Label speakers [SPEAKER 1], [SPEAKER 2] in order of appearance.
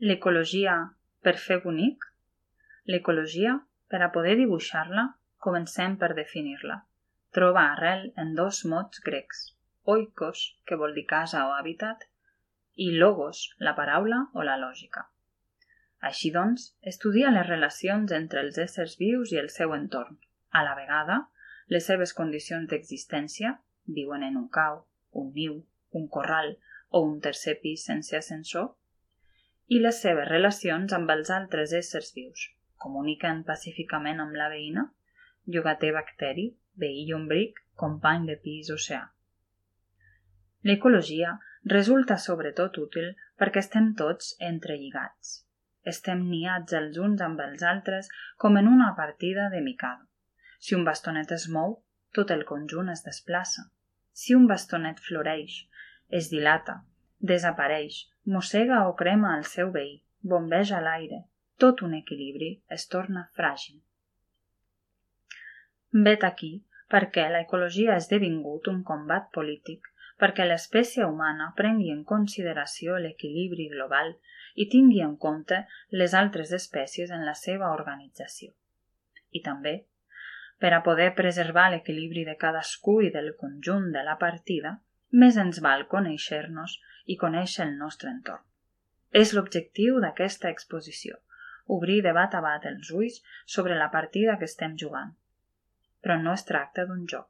[SPEAKER 1] L'ecologia per fer bonic? L'ecologia, per a poder dibuixar-la, comencem per definir-la. Troba arrel en dos mots grecs, oikos, que vol dir casa o hàbitat, i logos, la paraula o la lògica. Així doncs, estudia les relacions entre els éssers vius i el seu entorn. A la vegada, les seves condicions d'existència, viuen en un cau, un niu, un corral o un tercer pis sense ascensor, i les seves relacions amb els altres éssers vius. Comuniquen pacíficament amb la veïna, llogater bacteri, veí llombric, company de pis oceà. L'ecologia resulta sobretot útil perquè estem tots entrelligats. Estem niats els uns amb els altres com en una partida de Mikado. Si un bastonet es mou, tot el conjunt es desplaça. Si un bastonet floreix, es dilata, desapareix, mossega o crema el seu veí, bombeja l'aire, tot un equilibri es torna fràgil. Vet aquí perquè l'ecologia ha esdevingut un combat polític, perquè l'espècie humana prengui en consideració l'equilibri global i tingui en compte les altres espècies en la seva organització. I també, per a poder preservar l'equilibri de cadascú i del conjunt de la partida, més ens val conèixer-nos i conèixer el nostre entorn. És l'objectiu d'aquesta exposició, obrir de bat a bat els ulls sobre la partida que estem jugant. Però no es tracta d'un joc.